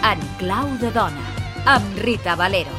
En clau de dona, amb Rita Valero.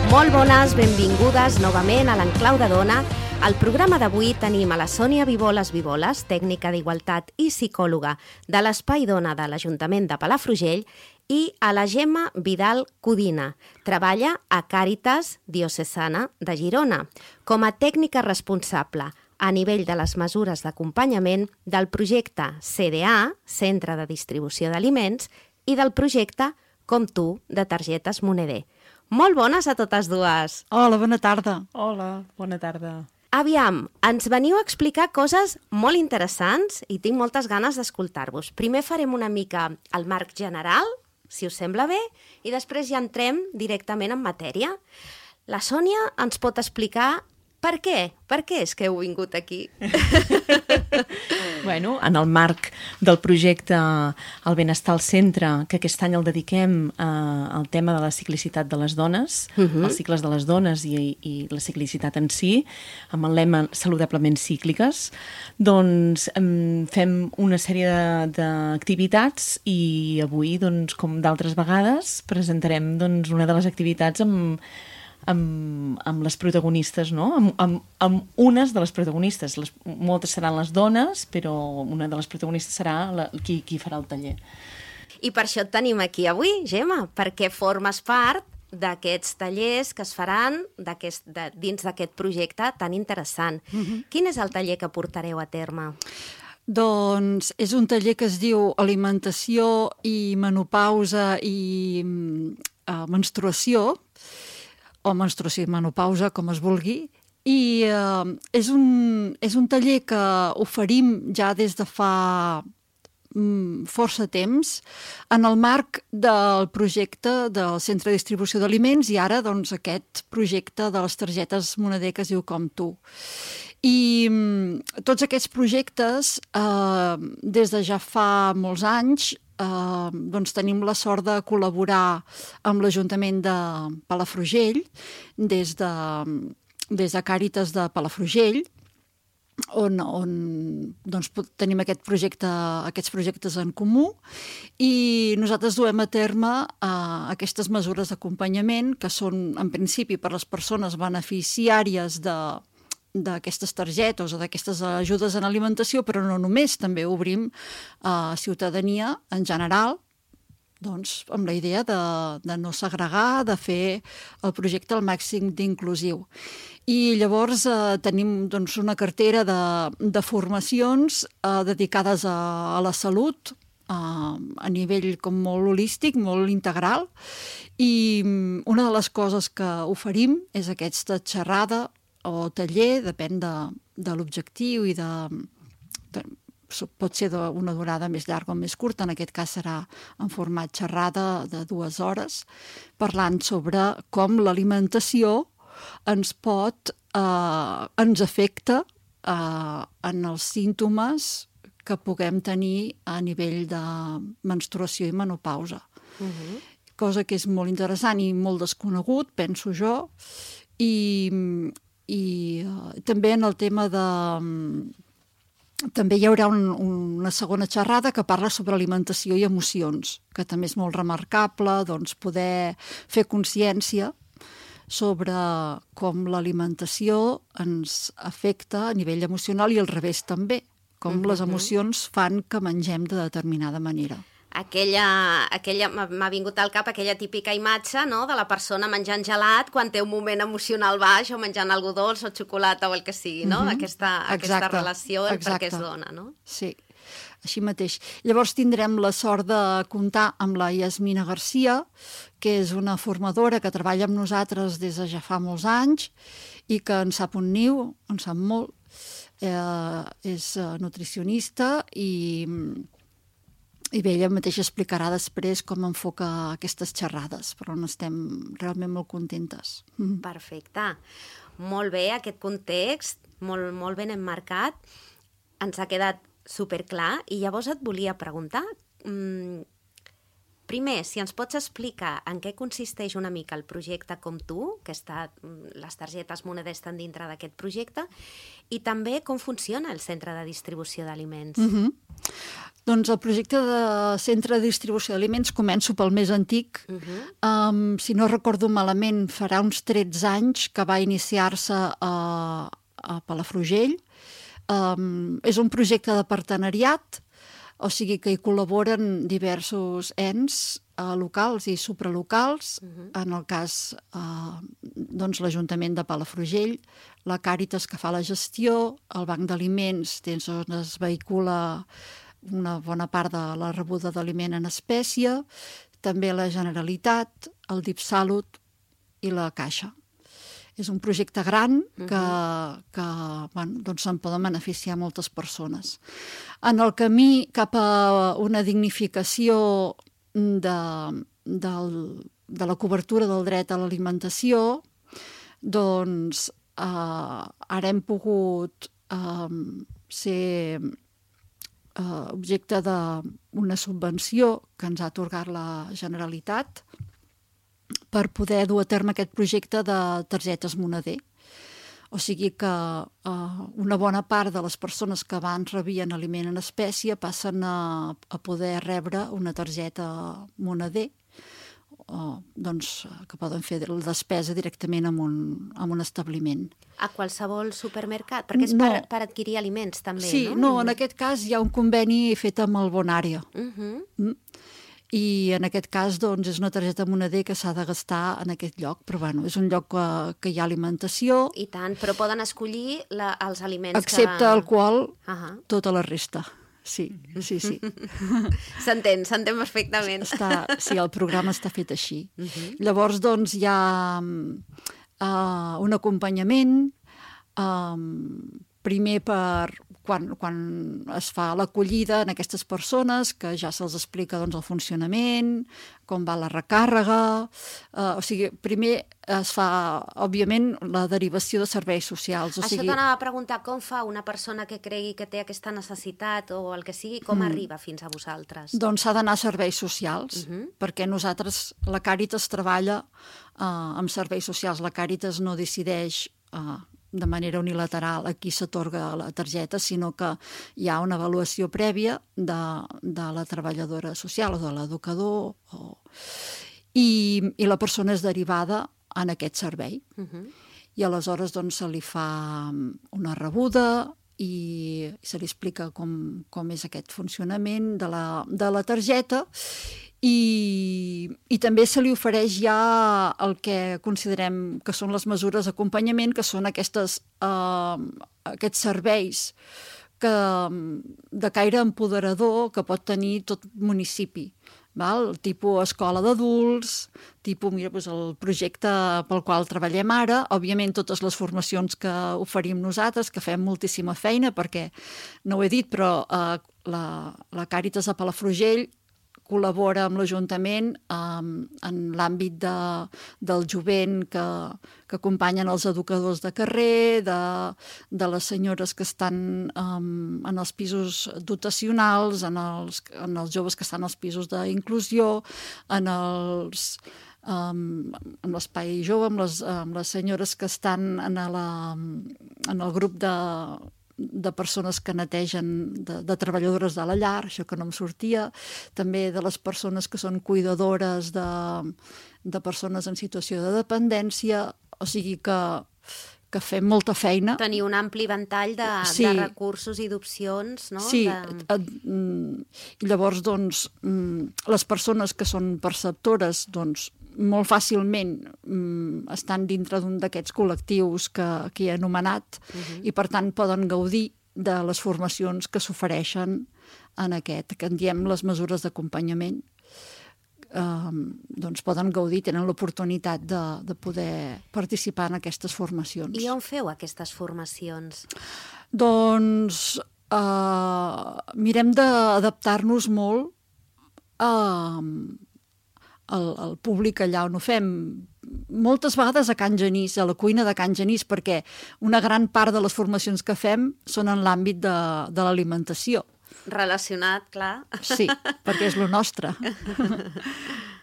Molt bones, benvingudes novament a l'Enclau de Dona. Al programa d'avui tenim a la Sònia Viboles, tècnica d'Igualtat i psicòloga de l'Espai Dona de l'Ajuntament de Palafrugell, i a la Gemma Vidal Codina. Treballa a Càritas Diocesana de Girona com a tècnica responsable a nivell de les mesures d'acompanyament del projecte CDA, Centre de Distribució d'Aliments, i del projecte Com tu, de targetes Moneder. Molt bones a totes dues. Hola, bona tarda. Hola, bona tarda. Aviam, ens veniu a explicar coses molt interessants i tinc moltes ganes d'escoltar-vos. Primer farem una mica el marc general, si us sembla bé, i després ja entrem directament en matèria. La Sònia ens pot explicar per què? Per què és que heu vingut aquí? Bueno, en el marc del projecte El Benestar al Centre, que aquest any el dediquem al tema de la ciclicitat de les dones, els cicles de les dones i la ciclicitat en si, amb el lema Saludablement Cícliques, doncs fem una sèrie d'activitats i avui, doncs, com d'altres vegades, presentarem doncs, una de les activitats amb les protagonistes, no? Amb unes de les protagonistes. Moltes seran les dones, però una de les protagonistes serà qui farà el taller. I per això et tenim aquí avui, Gemma, perquè formes part d'aquests tallers que es faran dins d'aquest projecte tan interessant. Quin és el taller que portareu a terme? Doncs és un taller que es diu Alimentació i Menopausa i Menstruació, o menstruació i menopausa, com es vulgui, i és un taller que oferim ja des de fa força temps en el marc del projecte del Centre de Distribució d'Aliments i ara doncs, aquest projecte de les targetes Moneder que es diu Com tu. I tots aquests projectes, des de ja fa molts anys, doncs tenim la sort de col·laborar amb l'Ajuntament de Palafrugell des de Càritas de Palafrugell, on doncs, tenim aquests projectes en comú, i nosaltres duem a terme aquestes mesures d'acompanyament que són en principi per les persones beneficiàries d'aquestes targetes o d'aquestes ajudes en alimentació, però no només, també obrim a ciutadania en general, doncs, amb la idea de no segregar, de fer el projecte al màxim d'inclusiu. I llavors tenim doncs, una cartera de formacions dedicades a la salut, a nivell com molt holístic, molt integral, i una de les coses que oferim és aquesta xerrada o taller, depèn de l'objectiu i pot ser d'una durada més llarga o més curta, en aquest cas serà en format xerrada de 2 hores, parlant sobre com l'alimentació ens afecta en els símptomes que puguem tenir a nivell de menstruació i menopausa. Cosa que és molt interessant i molt desconegut, penso jo, i també en el tema també hi haurà una segona xerrada que parla sobre alimentació i emocions, que també és molt remarcable, doncs, poder fer consciència sobre com l'alimentació ens afecta a nivell emocional i al revés també, com les emocions fan que mengem de determinada manera. M'ha vingut al cap aquella típica imatge, no?, de la persona menjant gelat quan té un moment emocional baix o menjant algú dolç o xocolata o el que sigui, no? Aquesta relació per què es dona, no? Sí, així mateix. Llavors tindrem la sort de comptar amb la Yasmina Garcia, que és una formadora que treballa amb nosaltres des de ja fa molts anys i que en sap un niu, en sap molt. És nutricionista i bé, ella mateixa explicarà després com enfoca aquestes xerrades, però estem realment molt contentes. Perfecte. Molt bé, aquest context, molt ben emmarcat, ens ha quedat superclar, i llavors et volia preguntar, Primer, si ens pots explicar en què consisteix una mica el projecte Com Tu, que les targetes Moneder estan dintre d'aquest projecte, i també com funciona el centre de distribució d'aliments. Doncs el projecte de centre de distribució d'aliments començo pel més antic. Si no recordo malament, farà uns 13 anys que va iniciar-se a Palafrugell. És un projecte de partenariat, o sigui que hi col·laboren diversos ens locals i supralocals, en el cas doncs, l'Ajuntament de Palafrugell, la Càritas que fa la gestió, el Banc d'Aliments, on es vehicula una bona part de la rebuda d'aliment en espècie, també la Generalitat, el DIPSalut i la Caixa. És un projecte gran que doncs se'n poden beneficiar moltes persones. En el camí cap a una dignificació de la cobertura del dret a l'alimentació, doncs ara hem pogut ser objecte d'una subvenció que ens ha atorgat la Generalitat per poder dur a terme aquest projecte de targetes Moneder. O sigui que una bona part de les persones que abans rebien aliment en espècie passen a poder rebre una targeta Moneder, doncs, que poden fer la despesa directament en un establiment. A qualsevol supermercat? Perquè és per adquirir aliments també, sí, no? No, en aquest cas hi ha un conveni fet amb el Bonària. I en aquest cas doncs, és una targeta Moneder que s'ha de gastar en aquest lloc, però bueno, és un lloc que hi ha alimentació. I tant, però poden escollir els aliments excepte alcohol, tota la resta. Sí. S'entén perfectament. Sí, el programa està fet així. Llavors, doncs, hi ha un acompanyament, primer per quan es fa l'acollida en aquestes persones, que ja se'ls explica doncs, el funcionament, com va la recàrrega. O sigui, primer es fa, òbviament, la derivació de serveis socials. Això t'anava a preguntar, com fa una persona que cregui que té aquesta necessitat o el que sigui, com arriba fins a vosaltres? Doncs s'ha d'anar a serveis socials, perquè nosaltres, la Càritas treballa amb serveis socials. La Càritas no decideix de manera unilateral a qui s'atorga la targeta, sinó que hi ha una avaluació prèvia de la treballadora social o de l'educador i la persona és derivada en aquest servei. I aleshores doncs, se li fa una rebuda i se li explica com és aquest funcionament de la targeta i també se li ofereix ja el que considerem que són les mesures d'acompanyament, que són aquests serveis de caire empoderador que pot tenir tot municipi. Tipus escola d'adults, tipus el projecte pel qual treballem ara, òbviament totes les formacions que oferim nosaltres, que fem moltíssima feina, perquè no ho he dit, però la Càritas de Palafrugell col·labora amb l'Ajuntament en l'àmbit del jovent que acompanyen els educadors de carrer, de les senyores que estan en els pisos dotacionals, en els joves que estan als pisos d'inclusió, en l'espai jove, amb les senyores que estan en el grup de persones que netegen, de treballadores de la llar, això que no em sortia, també de les persones que són cuidadores de persones en situació de dependència, o sigui que fem molta feina. Tenir un ampli ventall de recursos i d'opcions, no? Sí, llavors, doncs, les persones que són perceptores, doncs, molt fàcilment estan dintre d'un d'aquests col·lectius que he anomenat i, per tant, poden gaudir de les formacions que s'ofereixen en aquest, que en diem les mesures d'acompanyament. Doncs poden gaudir, tenen l'oportunitat de poder participar en aquestes formacions. I on feu aquestes formacions? Doncs mirem d'adaptar-nos molt al públic allà on ho fem. Moltes vegades a Can Genís, a la cuina de Can Genís, perquè una gran part de les formacions que fem són en l'àmbit de l'alimentació. Relacionat, clar. Sí, perquè és lo nostre.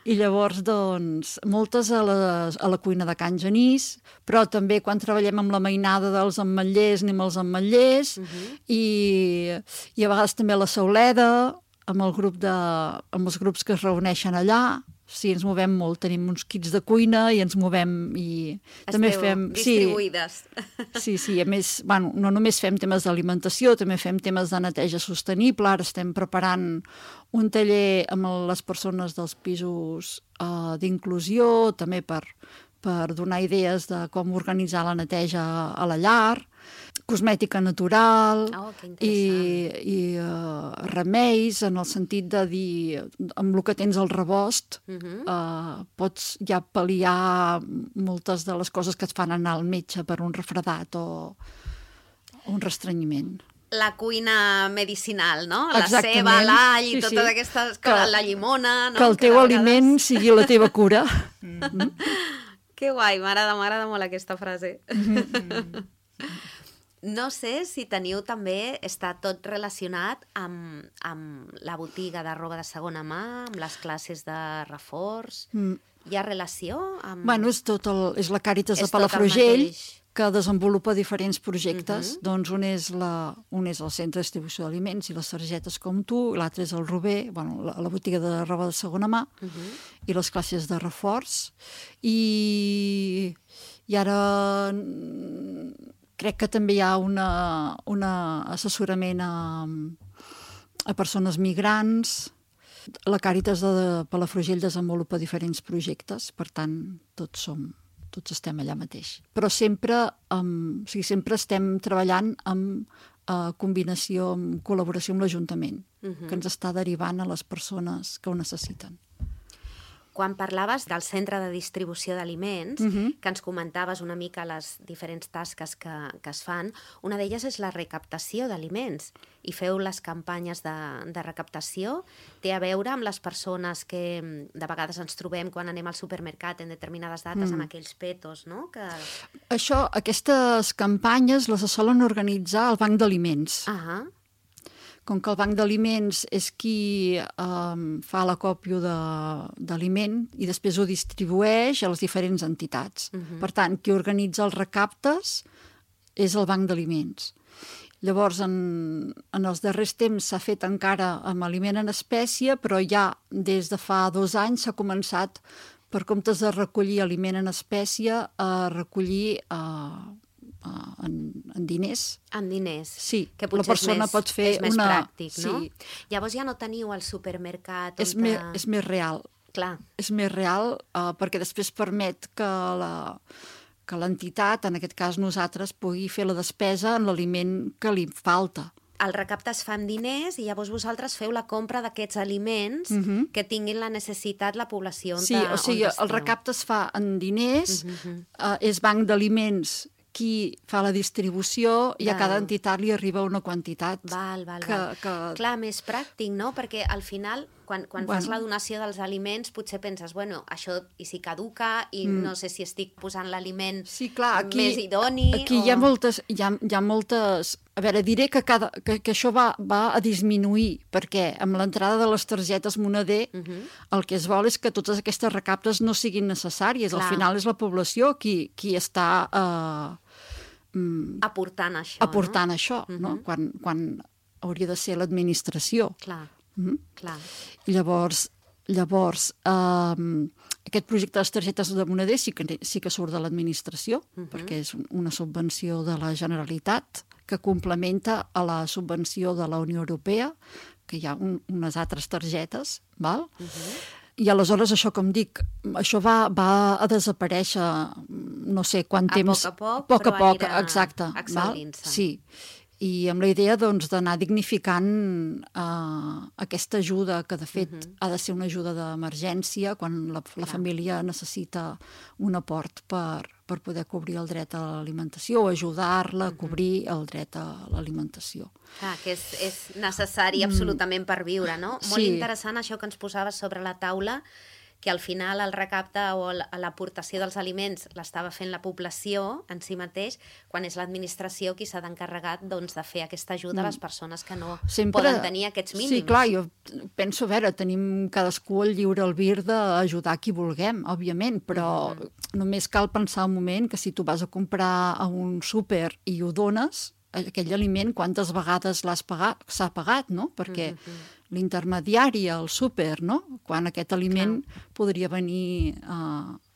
I llavors, doncs, moltes a la cuina de Can Genís, però també quan treballem amb la mainada dels ametllers, anem als ametllers, i a vegades també a la Sauleda, amb els grups que es reuneixen allà. Sí, ens movem molt, tenim uns kits de cuina i ens movem i també fem... distribuïdes. Sí, a més, bueno, no només fem temes d'alimentació, també fem temes de neteja sostenible. Ara estem preparant un taller amb les persones dels pisos d'inclusió, també per donar idees de com organitzar la neteja a la llar, cosmètica natural i remeis, en el sentit de dir, amb el que tens al rebost, pots ja pal·liar moltes de les coses que et fan anar al metge per un refredat o un restrenyiment. La cuina medicinal, no? Exactament. La ceba, l'all i totes aquestes coses, la llimona... No? Que el teu aliment sigui la teva cura. Que guai, m'agrada molt aquesta frase. No sé si teniu també, està tot relacionat amb la botiga de roba de segona mà, amb les classes de reforç. Hi ha relació? Bueno, és la Càritas de Palafrugell, que desenvolupa diferents projectes. Doncs un és el Centre de Distribució d'Aliments i les targetes com tu, i l'altre és el Rober, bueno, la botiga de roba de segona mà, i les classes de reforç. I ara crec que també hi ha un assessorament a persones migrants. La Càritas de Palafrugell desenvolupa diferents projectes, per tant, tots estem allà mateix. Però sempre estem treballant en combinació, en col·laboració amb l'Ajuntament, que ens està derivant a les persones que ho necessiten. Quan parlaves del centre de distribució d'aliments, que ens comentaves una mica les diferents tasques que es fan, una d'elles és la recaptació d'aliments. I feu les campanyes de recaptació. Té a veure amb les persones que de vegades ens trobem quan anem al supermercat en determinades dates amb aquells petos, no? Aquestes campanyes les solen organitzar al Banc d'Aliments. Com que el Banc d'Aliments és qui fa l'acòpio d'aliment i després ho distribueix a les diferents entitats. Per tant, qui organitza els recaptes és el Banc d'Aliments. Llavors, en els darrers temps s'ha fet encara amb aliment en espècie, però ja des de fa 2 anys s'ha començat, per comptes de recollir aliment en espècie, a recollir en diners. En diners. Sí, que la persona pot fer és més pràctic, no? Sí. Llavors ja no teniu al supermercat... És més real. Clar. És més real perquè després permet que l'entitat, en aquest cas nosaltres, pugui fer la despesa en l'aliment que li falta. El recapte es fa amb diners i llavors vosaltres feu la compra d'aquests aliments que tinguin la necessitat la població on esteu. Sí, o sigui, el recapte es fa en diners, és Banc d'Aliments qui fa la distribució i a cada entitat li arriba una quantitat. Val. Clar, més pràctic, no? Perquè al final, quan fas la donació dels aliments, potser penses, bueno, això i si caduca i no sé si estic posant l'aliment més idoni... Aquí hi ha moltes... A veure, diré que això va a disminuir, perquè amb l'entrada de les targetes moneder el que es vol és que totes aquestes recaptes no siguin necessàries. Al final és la població qui està... aportant això, no? Quan hauria de ser l'administració. Clar. I llavors aquest projecte de les targetes de moneder sí que surt de l'administració, perquè és una subvenció de la Generalitat que complementa a la subvenció de la Unió Europea, que hi ha unes altres targetes, val? I aleshores això, com dic, això va a desaparèixer no sé quant temps... A poc a poc, exacte. Excel·lint-se. Sí, i amb la idea d'anar dignificant aquesta ajuda, que de fet ha de ser una ajuda d'emergència quan la família necessita un aport per poder cobrir el dret a l'alimentació o ajudar-la a cobrir el dret a l'alimentació. Que és necessari absolutament per viure, no? Molt interessant això que ens posaves sobre la taula, que al final el recapte o l'aportació dels aliments l'estava fent la població en si mateix, quan és l'administració qui s'ha d'encarregar doncs, de fer aquesta ajuda a les persones que no poden tenir aquests mínims. Sí, clar, jo penso, a veure, tenim cadascú el lliure albir d'ajudar qui vulguem, òbviament, però només cal pensar un moment que si tu vas a comprar a un súper i ho dones, aquell aliment, quantes vegades s'ha pagat, no? Perquè l'intermediari al súper, no? Quan aquest aliment podria venir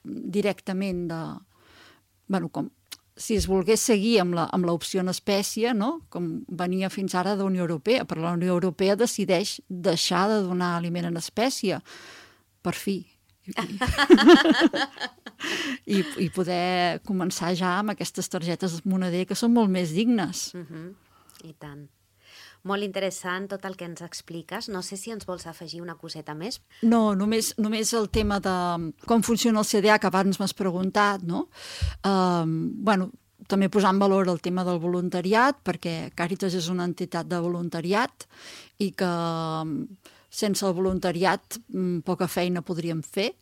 directament de... Bueno, com si es volgués seguir amb l'opció en espècie, no? Com venia fins ara de la Unió Europea, però la Unió Europea decideix deixar de donar aliment en espècie, per fi. I poder començar ja amb aquestes targetes moneder que són molt més dignes. I tant. Molt interessant tot el que ens expliques. No sé si ens vols afegir una coseta més. No, només el tema de com funciona el CDA, que abans m'has preguntat, no? Bueno, també posar en valor el tema del voluntariat, perquè Càritas és una entitat de voluntariat i que sense el voluntariat poca feina podríem fer.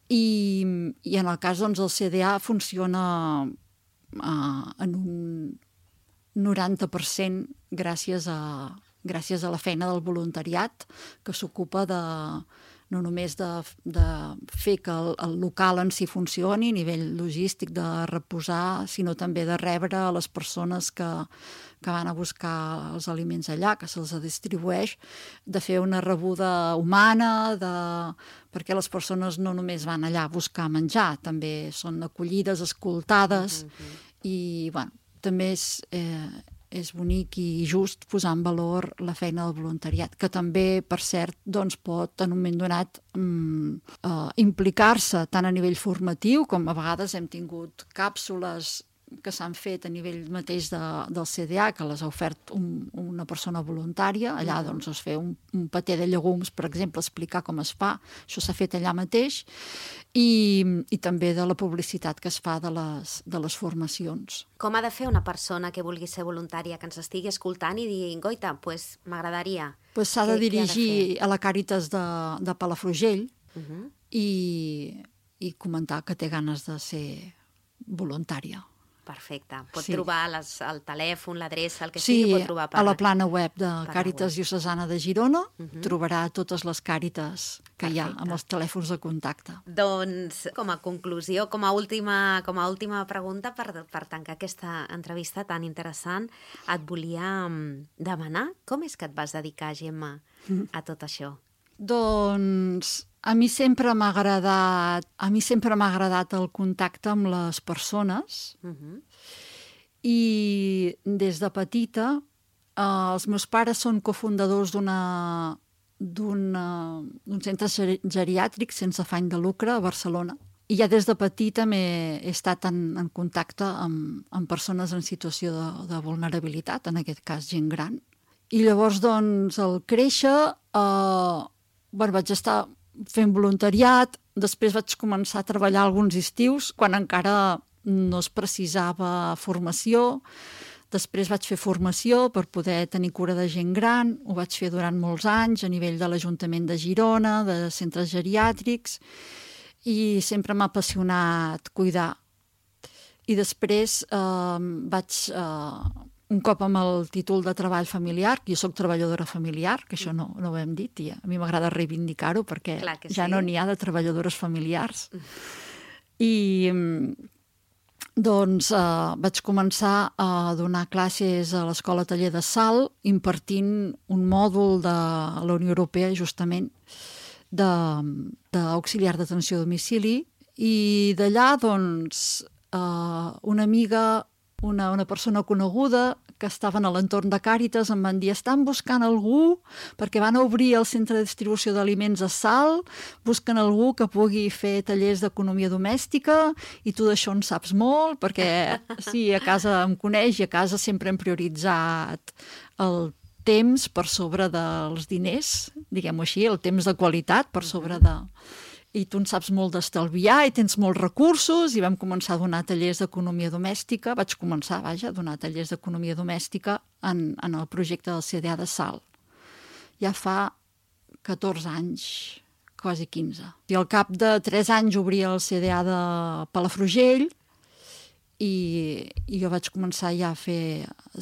I en el cas, doncs, el CDA funciona en un 90% gràcies a la feina del voluntariat, que s'ocupa no només de fer que el local en si funcioni a nivell logístic, de reposar, sinó també de rebre a les persones que van a buscar els aliments allà, que se'ls distribueix, de fer una rebuda humana, perquè les persones no només van allà a buscar menjar, també són acollides, escoltades, i bueno, també és bonic i just posar en valor la feina del voluntariat, que també, per cert, doncs, pot en un moment donat implicar-se tant a nivell formatiu, com a vegades hem tingut càpsules que s'han fet a nivell mateix del CDA, que les ha ofert una persona voluntària. Allà doncs, es fa un patè de llegums, per exemple, explicar com es fa. Això s'ha fet allà mateix. I també de la publicitat que es fa de les formacions. Com ha de fer una persona que vulgui ser voluntària, que ens estigui escoltant i digui, goita, doncs m'agradaria? S'ha de dirigir a la Càritas de Palafrugell i comentar que té ganes de ser voluntària. Perfecte. Pot trobar el telèfon, l'adreça, el que sigui, pot trobar a la plana web de Càritas Diocesana de Girona trobarà totes les Càritas que hi ha amb els telèfons de contacte. Doncs, com a conclusió, com a última pregunta, per tancar aquesta entrevista tan interessant, et volia demanar com és que et vas dedicar, Gemma, a tot això? Doncs a mi sempre m'ha agradat el contacte amb les persones i des de petita els meus pares són cofundadors d'un centre geriàtric sense afany de lucre a Barcelona. I ja des de petita he estat en contacte amb persones en situació de vulnerabilitat, en aquest cas gent gran. I llavors, doncs, al créixer, vaig estar fent voluntariat, després vaig començar a treballar alguns estius, quan encara no es precisava formació. Després vaig fer formació per poder tenir cura de gent gran, ho vaig fer durant molts anys a nivell de l'Ajuntament de Girona, de centres geriàtrics, i sempre m'ha apassionat cuidar. I després vaig... un cop amb el títol de treball familiar, que jo soc treballadora familiar, que això no ho hem dit, i a mi m'agrada reivindicar-ho perquè ja no n'hi ha de treballadores familiars. I doncs vaig començar a donar classes a l'Escola Taller de Salt, impartint un mòdul de la Unió Europea, justament, d'auxiliar d'atenció a domicili, i d'allà, doncs, una amiga, una persona coneguda que estaven a l'entorn de Càritas em van dir: estan buscant algú perquè van a obrir el centre de distribució d'aliments a Salt, busquen algú que pugui fer tallers d'economia domèstica i tu d'això en saps molt, perquè sí, a casa em coneix i a casa sempre hem prioritzat el temps per sobre dels diners, diguem-ho així, el temps de qualitat per sobre de... I tu en saps molt d'estalviar i tens molts recursos, i vam començar a donar tallers d'economia domèstica. Vaig començar, a donar tallers d'economia domèstica en el projecte del CDA de Salt. Ja fa 14 anys quasi 15. I al cap de 3 anys obria el CDA de Palafrugell i jo vaig començar ja a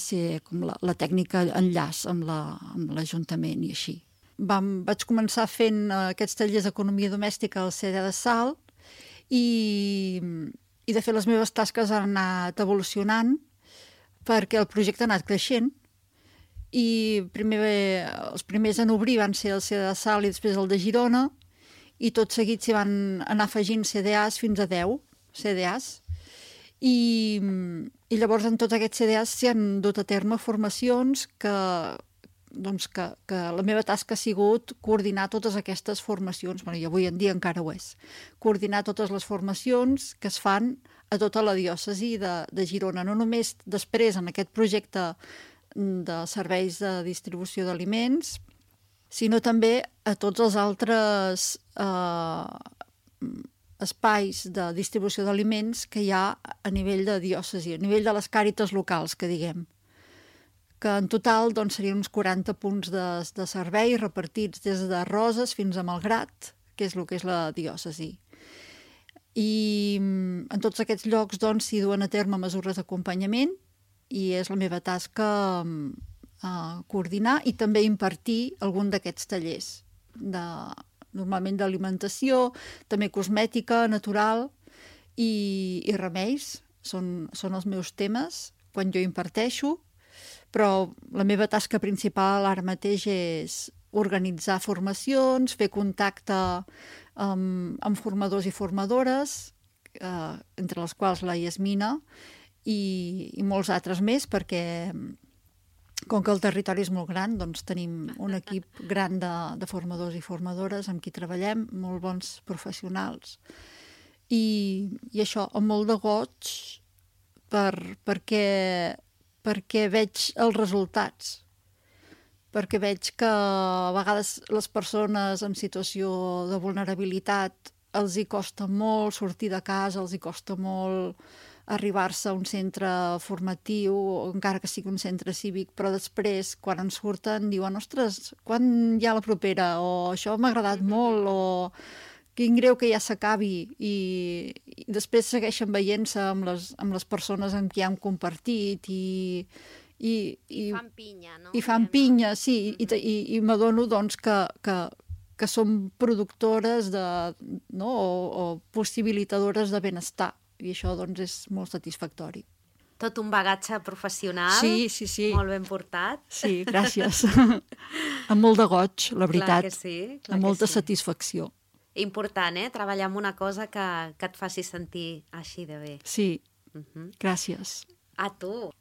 ser com la tècnica enllaç amb l'Ajuntament i així. Vaig començar fent aquests tallers d'economia domèstica al CDA de Salt i de fet les meves tasques han anat evolucionant perquè el projecte ha anat creixent i els primers en obrir van ser el CDA de Salt i després el de Girona i tot seguit s'hi van anar afegint CDAs fins a 10 CDAs i llavors en tots aquests CDAs s'hi han dut a terme formacions que la meva tasca ha sigut coordinar totes aquestes formacions, i avui en dia encara ho és, coordinar totes les formacions que es fan a tota la diòcesi de Girona, no només després en aquest projecte de serveis de distribució d'aliments, sinó també a tots els altres espais de distribució d'aliments que hi ha a nivell de diòcesi, a nivell de les càritas locals, que diguem, que en total serien uns 40 punts de servei repartits des de Roses fins a Malgrat, que és el que és la diòcesi. I en tots aquests llocs s'hi duen a terme mesures d'acompanyament i és la meva tasca coordinar i també impartir algun d'aquests tallers, normalment d'alimentació, també cosmètica, natural i remeis. Són els meus temes quan jo imparteixo, però la meva tasca principal ara mateix és organitzar formacions, fer contacte amb formadors i formadores, entre les quals la Yasmina i molts altres més, perquè com que el territori és molt gran, tenim un equip gran de formadors i formadores amb qui treballem, molt bons professionals. I això, amb molt de goig, perquè veig els resultats, perquè veig que a vegades les persones en situació de vulnerabilitat els hi costa molt sortir de casa, els hi costa molt arribar-se a un centre formatiu, encara que sigui un centre cívic, però després, quan en surten, diuen ostres, quan hi ha la propera? O això m'ha agradat molt, o quin greu que ja s'acabi, i després segueixen veient-se amb les persones amb qui han compartit i fan pinya, no? I fan pinya, sí, i m'adono que som productores o possibilitadores de benestar, i això és molt satisfactori. Tot un bagatge professional, sí. Molt ben portat. Sí, gràcies. Amb molt de goig, la veritat. Clar que sí. Amb molta satisfacció. Important, treballar en una cosa que et faci sentir així de bé. Sí, gràcies. A tu.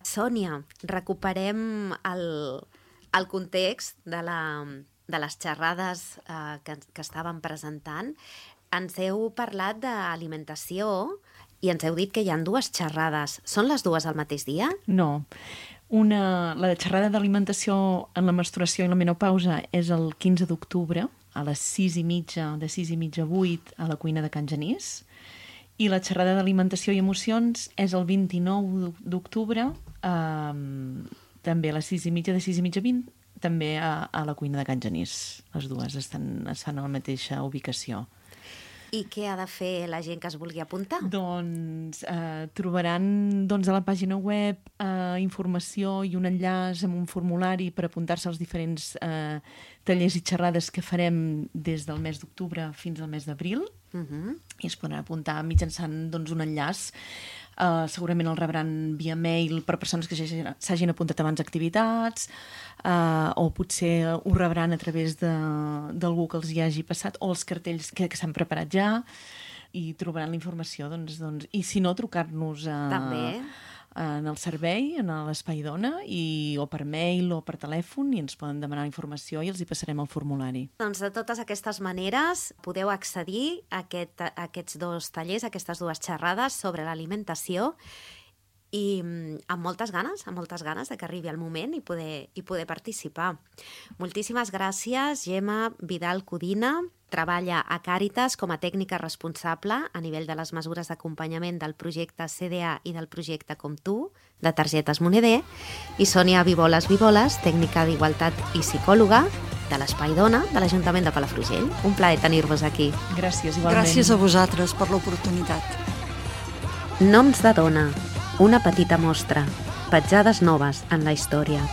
Sònia, recuperem el context de les xerrades que estàvem presentant. Ens heu parlat d'alimentació i ens heu dit que hi ha 2 xerrades. Són les 2 al mateix dia? No. La xerrada d'alimentació en la menstruació i la menopausa és el 15 d'octubre, a les 6:30, de 6:30 a 8, a la cuina de Can Genís. I la xerrada d'alimentació i emocions és el 29 d'octubre, també a les 6:30, de 6:30 a 20, també a la cuina de Can Genís. Les 2 es fan a la mateixa ubicació. I què ha de fer la gent que es vulgui apuntar? Trobaran a la pàgina web informació i un enllaç amb un formulari per apuntar-se als diferents tallers i xerrades que farem des del mes d'octubre fins al mes d'abril. I es podran apuntar mitjançant un enllaç. Segurament el rebran via mail per persones que s'hagin apuntat abans a activitats, o potser ho rebran a través d'algú que els hi hagi passat, o els cartells que s'han preparat ja, i trobaran la informació. I si no, trucar-nos també en el servei, en l'Espai Dona, o per mail o per telèfon, i ens poden demanar informació i els hi passarem el formulari. Doncs de totes aquestes maneres podeu accedir a aquests 2 tallers, a aquestes 2 xerrades sobre l'alimentació, i amb moltes ganes de que arribi el moment i poder participar. Moltíssimes gràcies, Gemma Vidal Codina. Treballa a Càritas com a tècnica responsable a nivell de les mesures d'acompanyament del projecte CDA i del projecte Com Tu, de targetes Moneder, i Sònia Vivoles, tècnica d'igualtat i psicòloga, de l'Espai Dona de l'Ajuntament de Palafrugell. Un plaer tenir-vos aquí. Gràcies, igualment. Gràcies a vosaltres per l'oportunitat. Noms de dona, una petita mostra, petjades noves en la història.